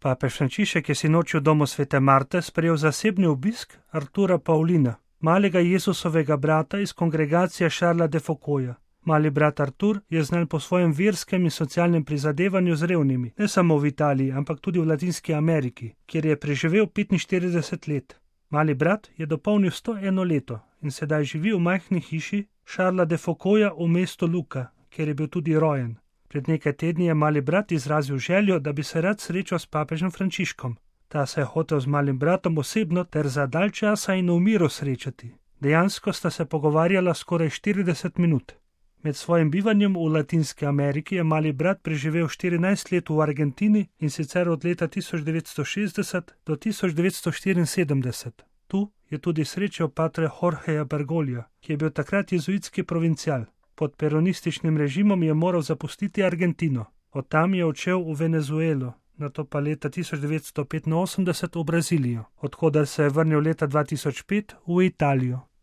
Papež Frančišek je sinoči v domu svete Marte sprejel zasebni obisk Artura Paulina, malega Jezusovega brata iz kongregacije Charlesa de Foucaulda. Mali brat Artur je znan po svojem verskem in socialnem prizadevanju z revnimi, ne samo v Italiji, ampak tudi v Latinski Ameriki, kjer je preživel 45 let. Mali brat je dopolnil 101 leto in sedaj živi v majhni hiši Charlesa de Foucaulda v mestu Lucca, kjer je bil tudi rojen. Pred nekaj tedni je mali brat izrazil željo, da bi se rad srečal s papežem Frančiškom. Ta se je hotel z malim bratom osebno ter za dalj časa in v miru srečati. Dejansko sta se pogovarjala skoraj 40 minut. Med svojim bivanjem v Latinski Ameriki je mali brat preživel 14 let v Argentini in sicer od leta 1960 do 1974. Tu je tudi srečal patra Jorgeja Bergoglja, ki je bil takrat jezuitski provincial. Pod peronističnim režimom je moral zapustiti Argentino. Od tam je odšel v Venezuelo, nato pa leta 1985 v Brazilijo, odkudar se je vrnil leta 2005 v Italijo.